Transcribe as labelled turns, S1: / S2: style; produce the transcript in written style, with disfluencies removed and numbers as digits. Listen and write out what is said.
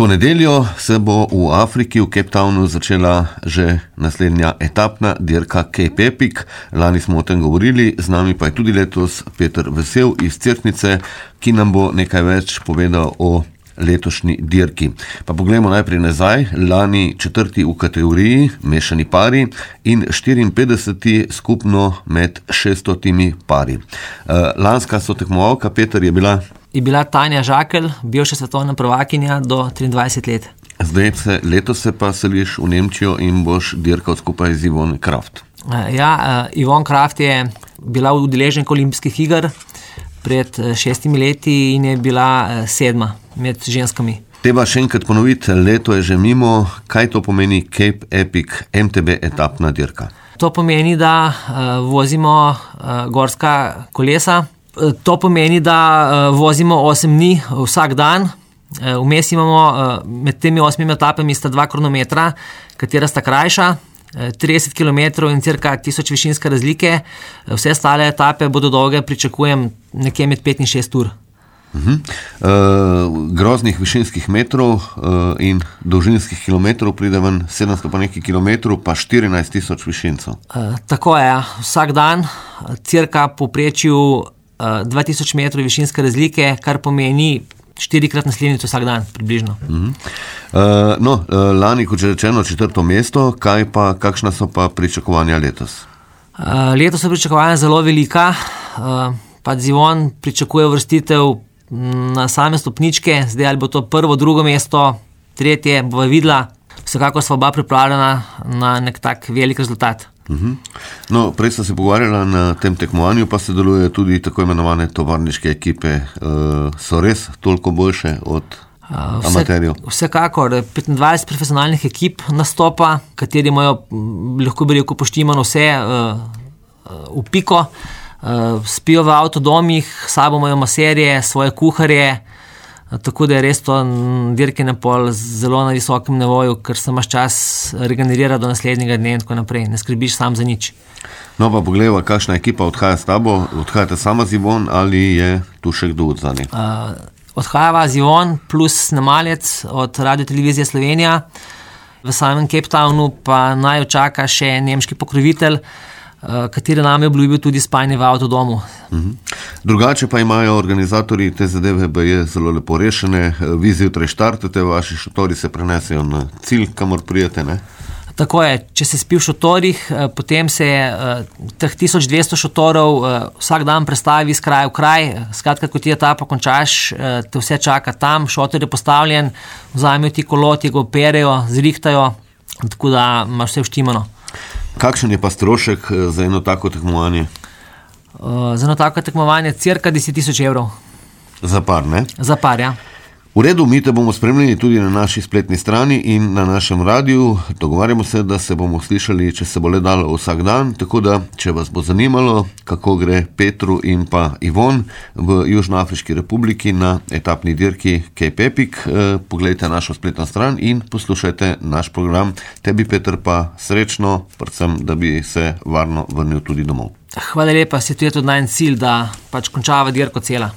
S1: To nedeljo se bo v Afriki, v Cape Townu, začela že naslednja etapna dirka Cape Epic. Lani smo o tem govorili, z nami pa je tudi letos Peter Vesel iz Cerknice, ki nam bo nekaj več povedal o letošnji dirki. Pa poglejmo najprej nazaj. Lani 4. v kategoriji mešani pari in 54. skupno med 600 pari. Lanska sotekmovalka, Peter, je bila
S2: Tanja Žakelj, bivša svetovna prvakinja do 23 let.
S1: Letos se pa seliš v Nemčijo in boš dirkal skupaj z Yvonne Kraft.
S2: Yvonne Kraft je bila udeleženka olimpijskih iger pred 6 leti in je bila 7. med ženskami.
S1: Treba še enkrat ponoviti, leto je že mimo. Kaj to pomeni Cape Epic MTB etapna dirka?
S2: To pomeni, da vozimo gorska kolesa. To pomeni, da vozimo 8 dni vsak dan. Vmes imamo med temi 8 etapami sta 2 kronometra, katera sta krajša, 30 km in cirka 1000 višinske razlike. Vse ostale etape bodo dolge, pričakujem nekje med 5 in 6 ur.
S1: Groznih višinskih metrov in dolžinskih kilometrov pride ven 700 pa nekaj kilometrov, pa 14 000 višincev.
S2: Tako je, vsak dan cirka povprečju 2000 metrov višinske razlike, kar pomeni 4-krat naslednjico vsak dan, približno.
S1: Lani, kot že rečeno, 4. mesto, kakšna so pa pričakovanja letos?
S2: Letos so pričakovanja zelo velika, pa Yvonne pričakuje vrstitev na same stopničke, zdaj ali bo to 1., 2. mesto, 3. bo videla, vsekako sva oba pripravljena na nek tak velik rezultat.
S1: Prej sta se pogovarjala na tem tekmovanju, pa se deluje tudi tako imenovane tovarniške ekipe. So res toliko boljše od amaterjev?
S2: Vsekakor, 25 profesionalnih ekip nastopa, kateri imajo, lahko bi rekel, poštimano vse v piko. Spijo v avtodomih, sabo imajo maserje, svoje kuharje, tako da je res to dirkanje pol zelo na visokem nivoju, ker se imaš čas regenerirati do naslednjega dne in tako naprej. Ne skrbiš sam za nič.
S1: Pa poglejva, kakšna ekipa odhaja s tabo. Odhajate sama z Yvonne ali je tu še kdo od zadnjih?
S2: Odhajava z Yvonne plus snemalec od Radiotelevizije Slovenija. V samem Cape Townu pa naj čaka še nemški pokrovitelj, kateri nam je obljubil tudi spanje v avtodomu.
S1: Drugače pa imajo organizatorji te zadeve zelo lepo rešene. Vi zjutraj štartate, vaši šotori se prenesejo na cilj, kamor prijete, ne?
S2: Tako je, če se spi v šotorih, potem se teh 1200 šotorov vsak dan prestavi iz kraja v kraj. Skratka, ko ti etapa končaš, te vse čaka tam, šotor je postavljen, vzamejo ti kolo, ti ga operejo, zrihtajo, tako da imaš vse vštimano.
S1: Kakšen je pa strošek za eno tako tekmovanje?
S2: Za eno tako tekmovanje cirka 10 000 evrov.
S1: Za par, ne?
S2: Za par, ja.
S1: V redu, mi te bomo spremljali tudi na naši spletni strani in na našem radiju. Dogovarjamo se, da se bomo slišali, če se bo le dalo, vsak dan, tako da, če vas bo zanimalo, kako gre Petru in pa Yvonne v Južnoafriški republiki na etapni dirki Cape Epic, poglejte našo spletno stran in poslušajte naš program. Tebi, Peter, pa srečno, predvsem, da bi se varno vrnil tudi domov.
S2: Hvala lepa, se tu je tudi najn cilj, da končava dirko cela.